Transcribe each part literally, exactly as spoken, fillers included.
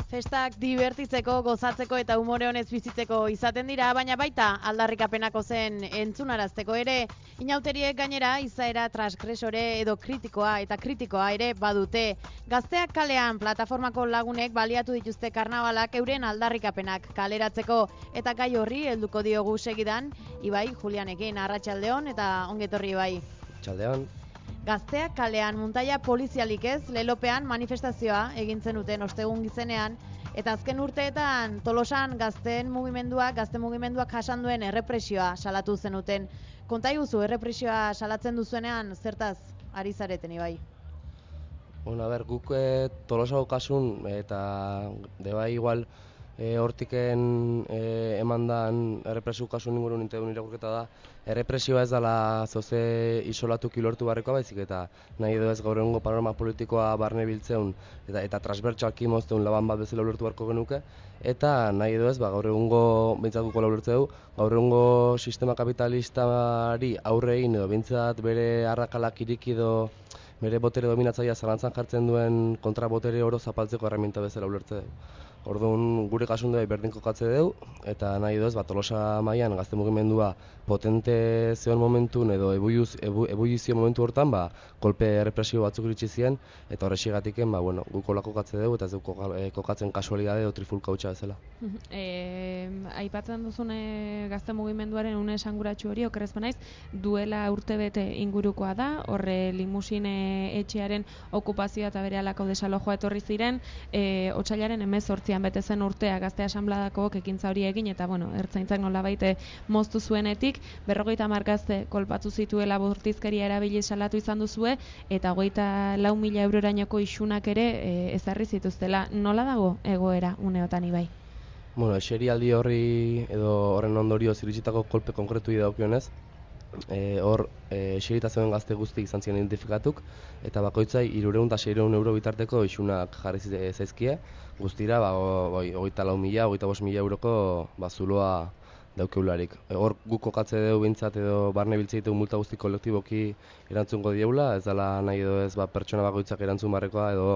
Festak divertitzeko, gozatzeko eta umore honez bizitzeko izaten dira, baina baita aldarrikapenako zen entzunarazteko ere, inauteriek gainera izaera transgresore edo kritikoa eta kritikoa ere badute. Gazteak kalean plataformako lagunek baliatu dituzte karnabalak euren aldarrikapenak kaleratzeko, eta gai horri helduko diogu segidan, Ibai Julianekin, arratsaldeon eta ongetorri Ibai. Arratsaldeon. Gazteak kalean muntaia polizialik ez, lelopean manifestazioa egin zenuten ostegun gizenean, eta azken urteetan Tolosan gazteen mugimenduak, gazte mugimenduak jasan duen errepresioa salatu zenuten. Konta iguzu, errepresioa salatzen duzuenean zertaz ari zareten Ibai? Bueno, a ber, guk e, Tolosa kasun eta debai igual e, hortiken e, emandan errepresio kasun ingurun integun irakurketa da, errepresioa ez dela zoze isolatuki lortu barrikoa baizik eta nahi edo ez gaur egungo panorama politikoa barne biltzeun eta, eta transbertsalki mozteun laban bat bezala lortu barko genuke, eta nahi edo ez ba, gaur egungo behintzat guko lortzeu, gaur egungo sistema kapitalistari aurre egin edo behintzat bere arrakalak iriki edo bere botere dominatzailea zalantzan jartzen duen kontrabotere oro zapaltzeko erreminta bezala ulertze dugu. Orduan gure kasun dut berdin kokatze dugu, eta nahi edo ez ba, Tolosa mailan gazte mugimendua potente zeon momentun edo ebulizio momentu hortan ba, kolpe errepresio batzuk iritsi ziren, eta horrexigatiken ba, bueno, guk hola kokatze dugu eta ez dugu kokatzen kasualidade edo trifulka hutsa bezala. E, aipatzen duzune gazte mugimenduaren une esanguratsu hori, okerrez banaiz, duela urtebete ingurukoa da, horre limusine etxearen okupazioa eta bere alako desalojoa etorri ziren, e, otsailaren hemezortzian bete zen urtea gazte asanbladako ekintza hori egin, eta bueno, ertzaintzak nolabait moztu zuenetik, berrogeita hamar gazte kolpatu zituela bortizkeria erabili salatu izan duzue, eta hogeita lau mila eurorainoko isunak ere e, ezarri zituztela. Nola dago egoera uneotan Ibai? Bueno, eserialdi horri edo horren ondorioz iritsitako kolpe konkretu dagokionez, E, hor, e, eserita zeuden gazte guzti izan ziren identifikatuk, eta bakoitzai hirurehun eta seiehun euro bitarteko isunak jarri zaizkie, guztira, ba, hogeita lau mila, hogeita bost mila euroko ba, zuloa daukeularik. E, hor, guk kokatze dugu bintzat edo barne biltze ditu multa guzti kolektiboki erantzungo dieula, ez dela nahi edo ez ba, pertsona bakoitzak erantzun barrekoa edo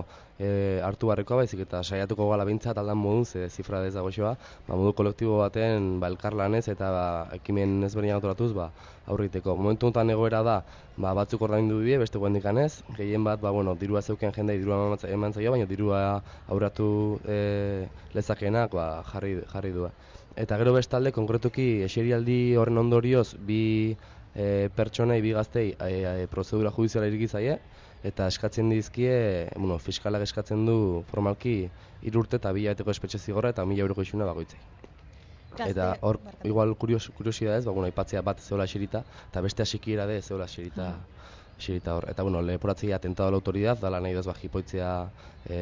e, hartu barrekoa, baizik eta saiatuko gala bintzat aldan modun, ze zifra ez dago xoa, ba, modu kolektibo baten ba, elkarlanez eta ba, ekimen ezberdinak atoratuz ba, aurriteko. Momentu honetan egoera da, ba, batzuk ordaindu die, beste guendikanez, gehien bat, ba, bueno, dirua zeuken jendei dirua eman zaio, baina dirua aurratu e, lezakenak ba, jarri, jarri du. Eta gero bestalde, konkretuki eserialdi horren ondorioz bi e, pertsonei, bi gaztei e, e, prozedura judiziala iriki zaie, eta eskatzen dizkie, bueno, fiskalak eskatzen du formalki hiru urte eta bi hilabeteko espetxe zigorra eta mila euroko isuna bakoitzei. Eta hor, igual kurios, kuriosia ez, ba, bueno, aipatzea bat zeola eserita, eta beste asikiera de zeola eserita, eserita hor. Eta, bueno, leporatzea atentado a la autoridad, dala nahi duz ba, jipoitzea e,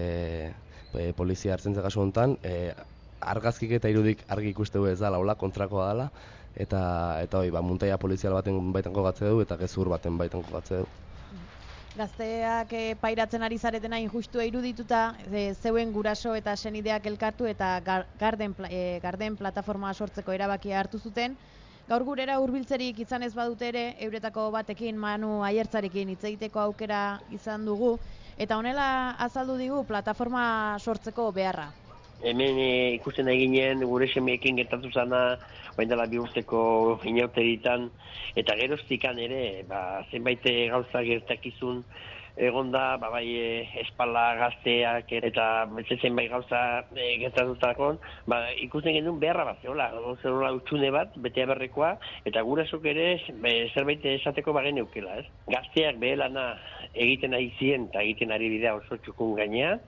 e, polizia hartzen kasu honetan, e, argazkik eta irudik argi ikuste du ez dala, hola, kontrakoa dela, eta, eta hoi, ba, muntaia polizial baten baitan kogatze du, eta gezur baten baitan kogatze du. Gazteak e, pairatzen ari zaretena injustua irudituta, e, zeuen guraso eta senideak elkartu eta gar, garden, e, garden plataforma sortzeko erabakia hartu zuten. Gaur gurera hurbiltzerik izan ez badute ere, euretako batekin Manu Aiertzarekin hitz egiteko aukera izan dugu, eta honela azaldu digu plataforma sortzeko beharra. Hemen e, ikusten eginen gure semeekin gertatu zana orain dela bi urteko inauteritan, eta geroztikan ere ba, zenbait gauza gertakizun egonda, ba, bai e, espala gazteak eta beste zenbait gauza e, gertatutakoan, ba, ikusten genuen beharra bat zehola, zehola utxune bat, bete aberrekoa, eta gurasok ere be, zerbait esateko bagen eukela, ez? Gazteak behelana egiten ari ziren eta egiten ari bidea oso txukun gainea,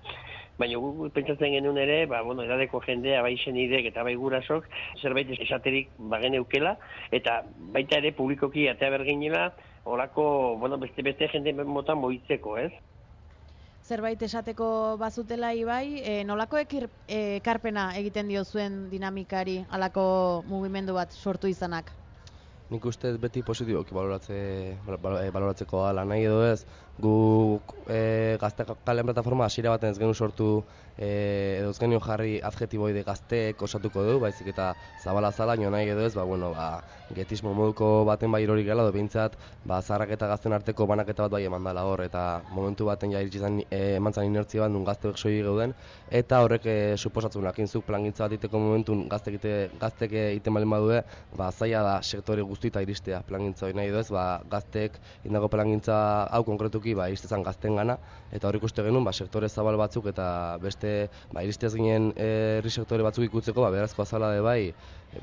baina guk pentsatzen genuen ere, ba, bueno, edadeko jendea, bai senidek eta bai gurasok, zerbait esaterik bagen eukela, eta baita ere publikoki atea berginela, horako, bueno, beste-beste jende motan moitzeko, ez? Zerbait esateko bazutela Ibai, e, nolako ekir, e, ekarpena egiten dio zuen dinamikari, halako mugimendu bat sortu izanak? Nik uste beti positiboki baloratze, baloratzeko ala nahi edo ez, guk e, gazte kalen plataforma hasiera baten ez genuen sortu e, edo ez genuen jarri adjetiboide gazteek osatuko du, baizik eta zabala zala, nio nahi edo ez, ba, bueno, ba, getismo moduko baten bai irori gela, edo behintzat, ba, zaharrak eta gazten arteko banaketa bat bai eman dela hor, eta momentu baten ja iritsi zen e, eman zen inertzia bat, nun gazteek soilik geuden, eta horrek e, suposatzen lakinzuk plangintza bat iteko momentun gaztek gaztek egiten balen badue, ba, zaila da sektore guztita iristea plangintza hori nahi edo ez, ba, gaztek indago plangintza hau konkretuki ba, iristezan gazten gana, eta hor ikuste genuen ba, sektore zabal batzuk eta beste ba, iristez ginen herri sektore batzuk ikutzeko, ba, berazkoa zala de bai,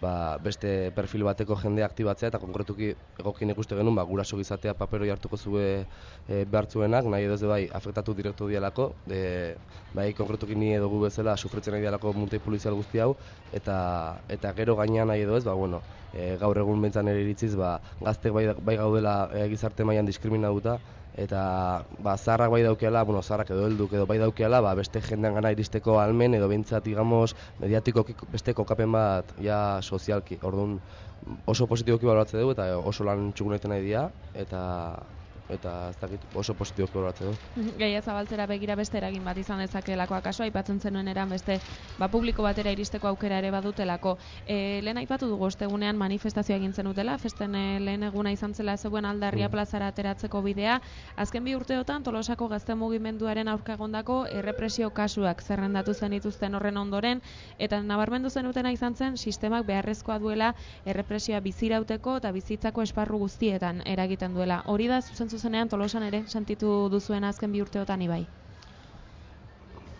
ba, beste perfil bateko jendea aktibatzea, eta konkretuki egokien ikuste genuen ba, guraso gizatea paperoi hartuko zue e, behartzuenak, nahi edo ez de bai, afektatu direktu dialako, de, bai, konkretuki ni edo gu bezala sufritzen nahi dialako multi polizial guzti hau, eta, eta gero gainean nahi edo ez, ba, bueno, e, gaur egun bentzan ere iritziz, ba, gaztek bai, bai gaudela e, gizarte mailan diskriminatuta, eta ba, zaharrak bai daukeala, bueno, zaharrak edo helduk edo bai daukeala, ba, beste jendean gana iristeko almen edo behintzat, digamos, mediatiko beste kokapen bat ja sozialki. Orduan oso positiboki baloratze dugu eta oso lan txukunetan nahi dira, eta eta ez dakit oso positiboki baloratze du. Gaia zabaltzera begira beste eragin bat izan dezakeelako, akaso aipatzen zenuen eran beste ba, publiko batera iristeko aukera ere badutelako. E, lehen aipatu dugu ostegunean manifestazioa egin zenutela, festen e, lehen eguna izan zela zeuen Aldarria mm. plazara ateratzeko bidea. Azken bi urteotan Tolosako gazte mugimenduaren aurka egondako errepresio kasuak zerrendatu zenituzten horren ondoren, eta nabarmendu zenutena izan zen sistemak beharrezkoa duela errepresioa bizirauteko eta bizitzako esparru guztietan eragiten duela. Hori da zuzen zuzenean Tolosan ere sentitu duzuen azken bi urteotan ibai?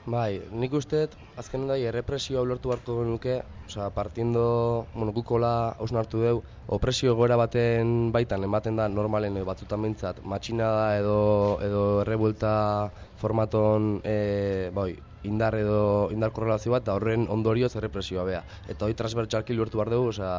Bai, nik usteet azken da errepresioa ulertu beharko genuke, osea, partiendo, bueno, gukola hausnartu deu, opresio egoera baten baitan ematen da normalen edo batzutan behintzat, matxinada edo edo errebuelta formaton e, bai, indar edo indar korrelazio bat, eta horren ondorioz errepresioa bea. Eta hori transbertsalki ulertu behar dugu, osea,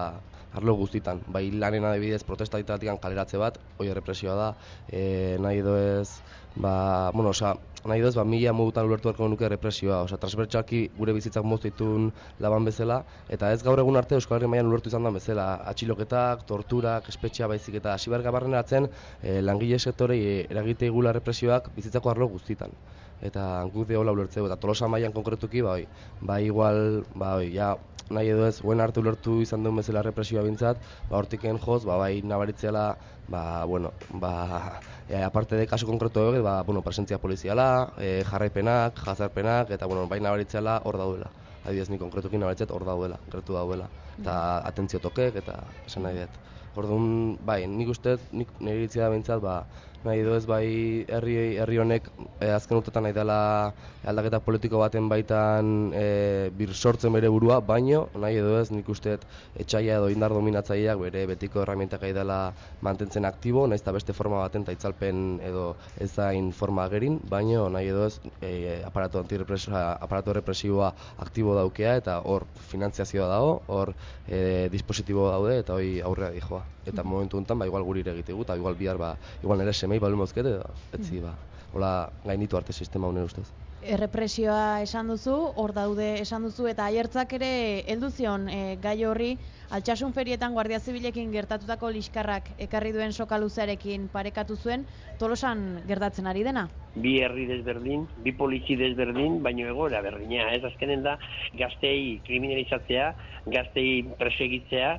arlo guztitan. Bai lanen adibidez protesta ditatikan kaleratze bat, hori errepresioa da, e, nahi edo ez, ba, bueno, osea, nahi duz, ba, mila modutan ulertu beharko nuke represioa, osea, transbertsalki gure bizitzak moztitun laban bezala, eta ez gaur egun arte Euskal Herri mailan ulertu izan da bezala, atxiloketak, torturak, espetxea baizik eta hasi behar gabarrenatzen e, langile sektorei eragite igula represioak bizitzako arlo guztitan. Eta guk de hola ulertzeu, eta Tolosa mailan konkretuki, bai, bai igual, bai, ja, nahi edo ez, guen arte ulertu izan duen bezala represioa bintzat, ba, hortiken joz, ba, bai, nabaritzela, ba, bueno, ba, e, aparte de kasu konkretu egot, ba, bueno, presentzia poliziala, e, jarraipenak, jazarpenak, eta, bueno, bai, nabaritzela hor daudela. Adibidez, ni konkretuki nabaritzet hor daudela, konkretu daudela. Eta atentzio tokek, eta esan nahi dut. Orduan, bai, nik uste, nik nire iritzia da bintzat, ba, nahi edo ez bai herri, herri honek e, azken urtetan nahi dela aldaketa politiko baten baitan e, bir sortzen bere burua, baino nahi edo ez nik uste etxaila edo indar dominatzaileak bere betiko herramientak nahi dela mantentzen aktibo, nahiz eta beste forma baten eta itzalpen edo ez zain forma agerin, baino nahi edo ez e, aparatu antirepresioa, aparatu represiboa aktibo daukea eta hor finantziazioa dago, hor e, dispositibo daude eta hori aurrera dijoa. Eta momentu honetan, ba, igual guri ere egitegu, eta igual bihar, ba, igual nire semei balu mozkete, etzi, ba, hola gainditu arte sistema honen ustez. Errepresioa esan duzu, hor daude esan duzu, eta aiertzak ere heldu zion e, gai horri, Altsasun ferietan Guardia Zibilekin gertatutako liskarrak ekarri duen soka luzearekin parekatu zuen, Tolosan gertatzen ari dena? Bi herri desberdin, bi polizi desberdin, baino egoera berdina, ez azkenen da gaztei kriminalizatzea, gaztei presegitzea,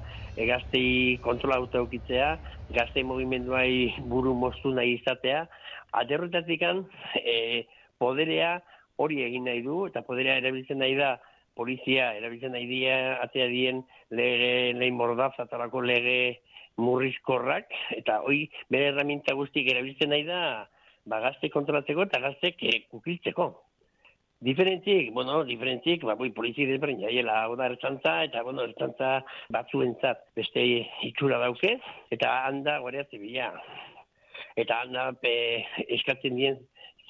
gaztei kontrola utaukitzea, gaztei mugimenduai buru moztu nahi izatea, aterrotatikan e, poderea hori egin nahi du, eta poderea erabiltzen nahi da polizia, erabiltzen nahi dia, atea dien lege, lehin mordaz, atalako lege murrizkorrak, eta hoi bere herramienta guztik erabiltzen nahi da, ba, gazte kontrolatzeko eta gaztek e, kukiltzeko. Diferentzik, bueno, diferentzik, ba, boi, polizi desberdin jaiela, hau da ertzantza, eta, bueno, ertzantza batzuentzat beste itxura dauke, eta handa Guardia Zibila. Eta handa pe, eskatzen dien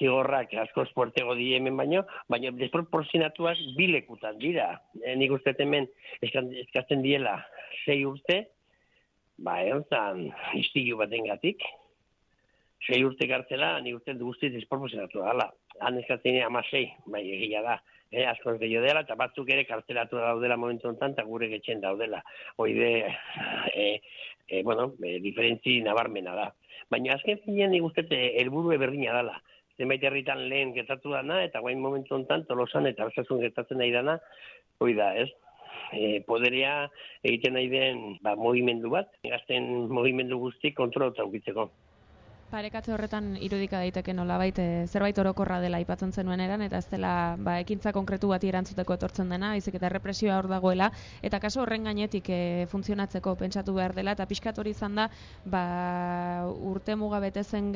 zigorrak askoz puertego di hemen baino, baina desproporzionatuak bilekutan dira. E, nik uste hemen eskatzen diela sei urte, ba, egon istilu baten gatik. Sei urte gartzela, nik uste guztiz desproporzionatua dela. han eskatzen amasei, bai egia da. Eh, askoz gehiago dela, eta batzuk ere kartelatu daudela momentu honetan, eta gure getxen daudela. Hoide, e, e, bueno, e, diferentzi nabarmena da. Baina azken finean nik uste helburu berdina dela. Zenbait herritan lehen gertatu dana, eta guain momentu honetan Tolosan eta Arsasun gertatzen nahi dana, hoi da, ez? E, poderea egiten nahi den ba, mugimendu bat, gazten mugimendu guzti kontrolota ukitzeko. Parekatze horretan irudika daiteke nolabait e, zerbait orokorra dela aipatzen zenuen eran, eta ez dela ba, ekintza konkretu bati erantzuteko etortzen dena, baizik eta errepresioa hor dagoela, eta kaso horren gainetik e, funtzionatzeko pentsatu behar dela, eta pixkat hori izan da ba, urte muga betezen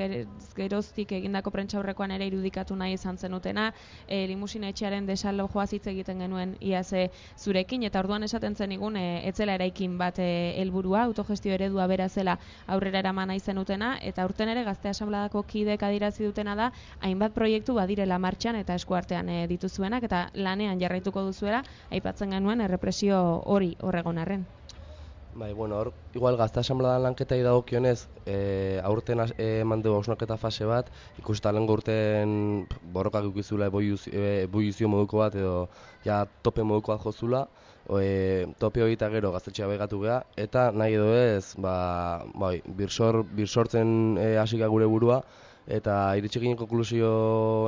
geroztik egindako prentsaurrekoan ere irudikatu nahi izan zenutena, e, limusina etxearen desalojoa hitz egiten genuen iaz zurekin, eta orduan esaten zen igun e, etzela eraikin bat helburua, autogestio eredua bera zela aurrera eraman nahi zenutena, eta aurten ere Gazte Asanbladako kideek adierazi dutena da hainbat proiektu badirela martxan eta eskuartean e, dituzuenak eta lanean jarraituko duzuela, aipatzen genuen errepresio hori horregon arren. Bai, bueno, hor, igual Gazte Asanbladan lanketai dagokionez, e, aurten eman dugu hausnarketa fase bat, ikusita lehengo urten borrokak ikizula eboluzio moduko bat edo ja tope moduko bat jozula, E, tope hori eta gero gaztetxea begatu geha, eta nahi edo ez, ba, bai, birsor, birsortzen hasika e, gure burua, eta iritsi ginen konklusio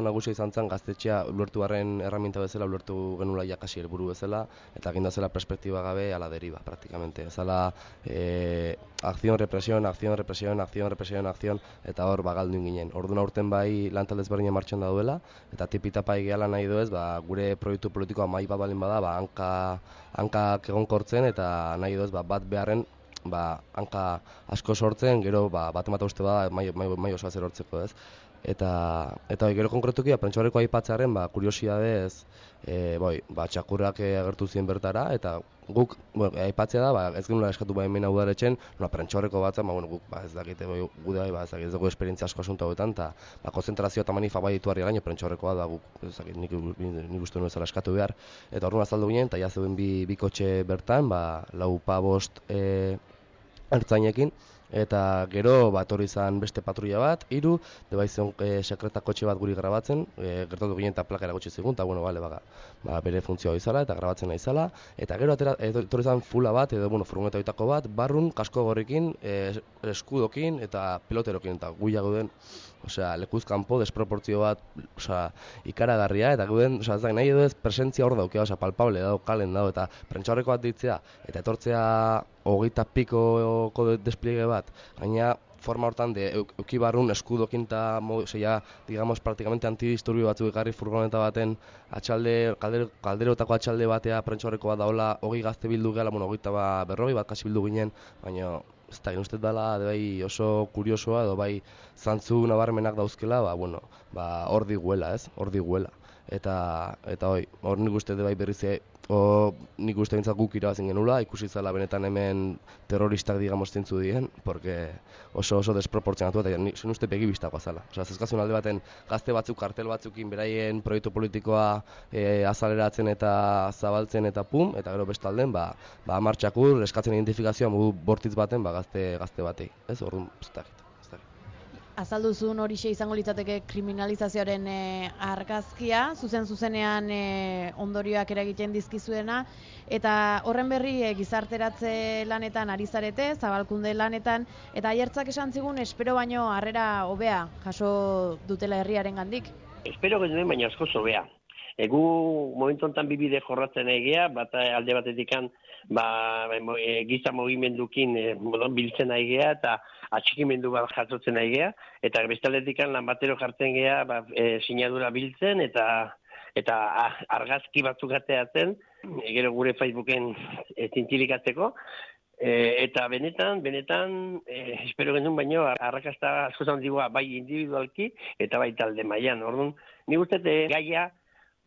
nagusia izan zen gaztetxea ulertu barren erraminta bezala, ulertu genula jakasi helburu bezala, eta ginda zela perspektiba gabe ala deriva, praktikamente. Zala, e, akzion, represión, akzion, represión, akzion, represión, akzion, eta hor bagaldu ginen. Orduan aurten bai lantalde ezberdina martxan dauela, eta tipitapa egiala nahi doez, ba, gure proiektu politikoa mai bat balin bada, ba, hanka, hankak egonkortzen, eta nahi doez, ba, bat beharren, ba, hanka asko sortzen, gero ba, bat emata uste bada mai, mai, mai osoa zer hortzeko, ez? Eta, eta bai, gero konkretuki, prentsaurrekoa aipatzearen, ba, kuriosidadez, e, bai, ba, txakurrak agertu ziren bertara, eta guk, bueno, aipatzea da, ba, ez genula eskatu ba hemen udaletxen, no, prentsaurreko batzen, ba, bueno, guk, ba, ez dakite, bai, gude bai, ba, ez dakit, ez dugu esperientzia asko asunto hauetan, eta, ba, konzentrazio eta manifa bai ditu harri gaino, prentsaurrekoa da, guk, ez dakit, nik, nik uste nuen zela eskatu behar, eta orduan azaldu ginen, eta ja zeuden bi, bi kotxe bertan, ba, lau pa bost, e, ertzainekin, eta gero bat hori izan beste patrulla bat, hiru, deba izan e, sekretakotxe bat guri grabatzen, e, gertatu ginen eta plaka eragotxe zigun, eta bueno, bale, baga, ba, bere funtzioa izala eta grabatzen izala, eta gero atera, etorri izan fula bat, edo bueno, furgoneta bitako bat, barrun, kasko gorrikin, e, eskudokin eta piloterokin, eta guia gauden, osea, lekuz kanpo, desproportzio bat, osea, ikaragarria, eta gauden, osea, ez da, nahi edo ez presentzia hor daukea, osea, palpable dago, kalen dago, eta prentsaurreko bat ditzea, eta etortzea hogeita pikoko despliege bat, gaina forma hortan de eukibarrun eskudokin eta ja, digamos, praktikamente antidisturbio batzuk ekarri furgoneta baten atxalde, kaldero, kalderotako atxalde batea prentsaurreko bat daola, hogei gazte bildu gehala, bueno, hogeita ba, berrogei bat kasi bildu ginen, baina ez da, ustez dela, bai oso kuriosoa, edo bai zantzu nabarmenak dauzkela, ba, bueno, ba, hor diguela, ez, hor diguela. Eta, eta hoi, hor nik uste bai berriz, o, nik uste bintzat guk irabazin genula, ikusi zela benetan hemen terroristak digamos zintzu dien, porque oso oso desproportzionatu eta nik zen uste begibistako zela. Osa, zezkazun alde baten gazte batzuk, kartel batzukin beraien proiektu politikoa e, azaleratzen eta zabaltzen eta pum, eta gero bestalden, ba, ba martxakur, eskatzen identifikazioa modu bortitz baten, ba, gazte, gazte batei. Ez, orduan, ez dakit. Azalduzun horixe izango litzateke kriminalizazioaren e, argazkia, zuzen-zuzenean e, ondorioak eragiten dizkizuena, eta horren berri e, gizarteratze lanetan ari zarete, zabalkunde lanetan, eta aiertzak esan zigun, espero baino harrera hobea jaso dutela herriaren gandik. Espero genuen baina asko hobea. Egu momentu honetan bibide jorratzen egea, bat alde batetikan ba, e, giza mugimendukin e, biltzen egea eta atxikimendu bat jasotzen egea, eta beste aldetikan lan batero jartzen gea ba, e, sinadura biltzen eta eta argazki batzuk ateatzen, e, gero gure Facebooken e, zintzilikatzeko, e, eta benetan, benetan, e, espero genuen baino, arrakasta asko handigoa bai individualki eta bai talde mailan. Orduan, nik uste gaia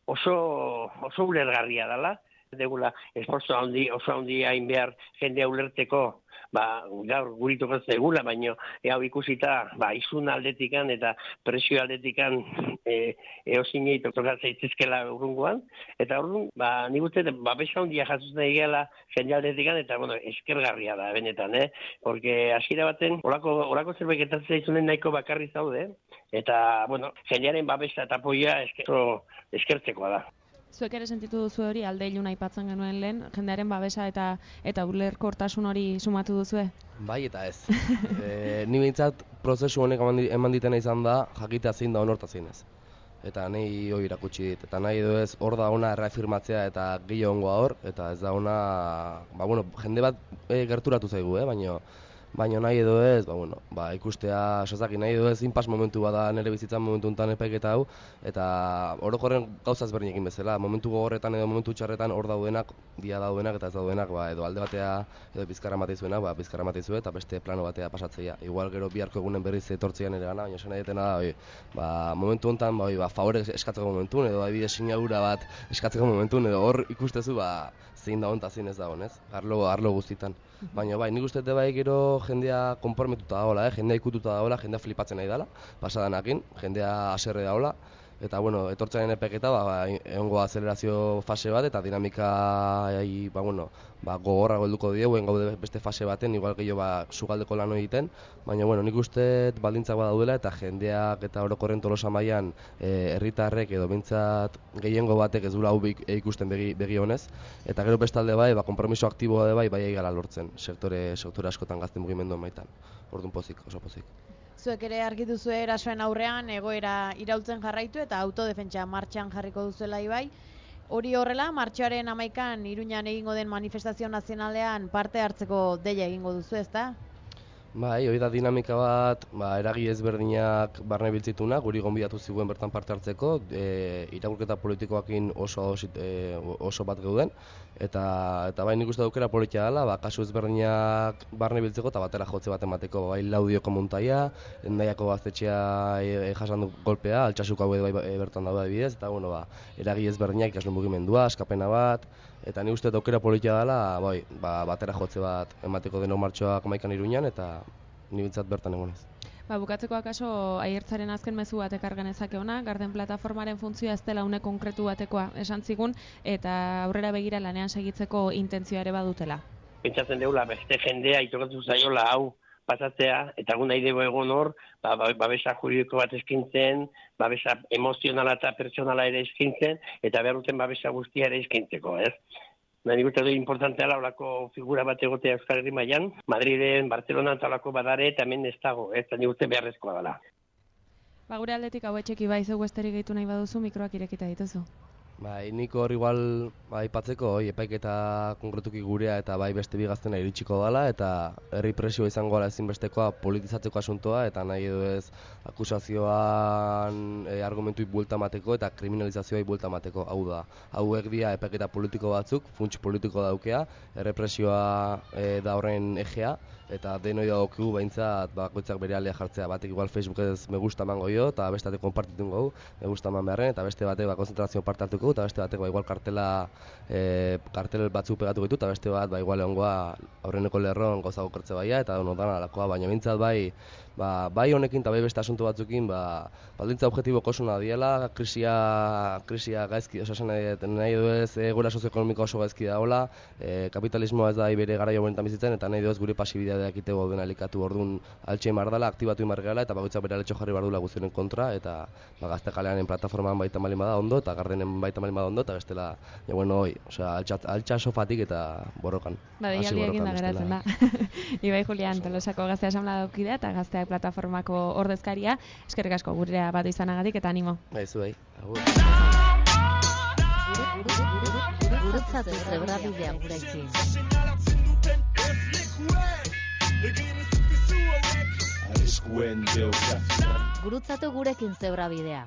oso, oso ulergarria dela, Degula esforzo handi, oso handi hain behar jendea ulerteko, ba, gaur gurituko zegula, baino hau ikusita, ba, izun aldetikan eta presio aldetikan e, eosinei tokatzen zaitezkela urrungoan, eta orduan, ba, nik uste, babesa handia jasotzen egela jende aldetikan, eta, bueno, eskergarria da, benetan, eh? Porque hasiera baten, olako, olako zerbait gertatzen zaizunen nahiko bakarri zaude, eta, bueno, jendearen babesa eta apoia esker, eskertzekoa da. Zuek ere sentitu duzu hori, alde iluna aipatzen genuen lehen, jendearen babesa eta eta ulerkortasun hori sumatu duzue? Bai eta ez. e, ni behintzat prozesu honek eman ditena izan da, jakitea zein da onorta zein ez. Eta nahi hori irakutsi dit. Eta nahi edo ez hor da ona erreafirmatzea eta gehiagongoa hor, eta ez da ona, ba, bueno, jende bat e, gerturatu zaigu, eh? baina Baina nahi edo ez, ba, bueno, ba, ikustea, sozaki nahi edo ez, inpas momentu bada nire bizitzan momentu enten epaiketa hau, eta orokorren gauza ezberdinekin bezala, momentu gogorretan edo momentu txarretan hor daudenak, dia daudenak eta ez daudenak, ba, edo alde batea edo bizkarra mateizuena, ba, bizkarra mateizue eta beste plano batea pasatzea. Igual gero biharko egunen berriz etortzean ere gana, baina esan nahietena da, oi, ba, momentu honetan, ba, oi, ba, favore eskatzeko momentun, edo adibidez sinadura bat eskatzeko momentun, edo hor ikustezu, ba, zein da honta zein ez da honez, arlo, arlo guztitan. Baina bai, nik uste bai gero jendea konformetuta dagoela, eh? jendea ikututa dagoela, jendea flipatzen nahi dela, pasadanakin, jendea haserre dagoela, eta bueno, etortzaren epeketa, ba, ba, egongo azelerazio fase bat, eta dinamika ba, bueno, ba, gogorra golduko dieguen gaude beste fase baten, igual gehiago ba, sugaldeko lan egiten, baina bueno, nik uste baldintzak badaudela, eta jendeak eta orokorren Tolosa mailan herritarrek edo behintzat gehiengo batek ez dula hau ikusten begi, begi honez, eta gero bestalde bai, ba, konpromiso aktiboa de bai, bai egala lortzen, sektore, sektore askotan gazte mugimenduan baitan, orduan pozik, oso pozik. Zuek ere argi duzue erasoen aurrean egoera iraultzen jarraitu eta autodefentsa martxan jarriko duzuela ibai. Hori horrela, martxoaren hamaikan Iruñan egingo den manifestazio nazionalean parte hartzeko deia egingo duzu, ezta? Bai, hori da dinamika bat, ba, eragi ezberdinak barne biltzituna, guri gonbidatu ziguen bertan parte hartzeko, e, irakurketa politikoakin oso, e, oso bat geuden, eta, eta bai nik uste dukera politia dela, ba, kasu ezberdinak barne biltzeko eta batera jotze bat emateko, bai Laudioko muntaia, Hendaiako gaztetxea e, e, jasan du golpea, Altsasuko hau edo bai e, bertan daude bidez, eta bueno, ba, eragi ezberdinak ikasle mugimendua, askapena bat, eta ni uste aukera politia dela, bai, ba, batera jotze bat emateko deno martxoak hamaikan Iruñan, eta ni bintzat bertan egonez. Ba, bukatzeko akaso aiertzaren azken mezu bat ekar genezake ona, Garden plataformaren funtzioa ez dela une konkretu batekoa esan zigun, eta aurrera begira lanean segitzeko intentzioa ere badutela. Pentsatzen deula, beste jendea itokatu zaiola hau pasatzea, eta egun nahi dugu egon hor, ba, babesa juridiko bat eskintzen, babesa emozionala eta pertsonala ere eskintzen, eta behar duten babesa guztia ere eskintzeko, ez? Nik uste du importantea laulako figura bat egotea Euskal Herri mailan, Madrilen, Barcelona eta olako badare, eta hemen ez dago, ez? Nik uste beharrezkoa dela. Ba, gure aldetik hau etxeki bai zeu esterik gehitu nahi baduzu, mikroak irekita dituzu. Bai, nik hor igual aipatzeko, ba, epaiketa konkretuki gurea eta bai beste bi gaztena iritsiko dela, eta herri presioa izango dela ezinbestekoa politizatzeko asuntoa, eta nahi edo ez akusazioan e, argumentuik buelta mateko eta kriminalizazioai buelta mateko. Hau da, hauek dira epaiketa politiko batzuk, funts politiko daukea, errepresioa e, da horren ejea, eta denoi dagokigu behintzat bakoitzak bere alea jartzea, batek igual Facebookez me gusta emango jo, eta beste batek konpartitu gau, me gusta eman beharren, eta beste batek ba, konzentrazio parte hartuko, eta beste batek ba, igual kartela, e, kartel batzuk pegatu ditu, eta beste bat ba, igual egongoa aurreneko lerron gozago kertze baia, eta no, dana alakoa, baina behintzat bai, ba, bai honekin eta bai beste asunto batzukin, ba, baldintza objetiboko osuna diela, krisia, krisia gaizki, osasen nahi, nahi edo ez egoera sozioekonomiko oso gaizki dagoela, e, kapitalismoa ez da bere garaio honetan bizitzen, eta nahi edo ez gure pasibidea dakitego den alikatu orduan altxe mardala, aktibatu imar gehala, eta bakoitzak bere aletxo jarri bardula guztionen kontra, eta ba, gazte kaleanen plataformaan baita malin bada ondo, eta Gardenen baita malin bada ondo, eta bestela, ja, bueno, hoi, osea, altxa sofatik eta borrokan. Ba, deialdi egin da geratzen da. Ibai Julian, Tolosako Gazte Asamblea daukidea, eta Gazteak plataformako ordezkaria, eskerrik asko gurea bat izanagatik, eta animo. Bai, zu bai, agur. Gurutzatu zebrabidea guraiki. Gurutzatu gurekin zebrabidea.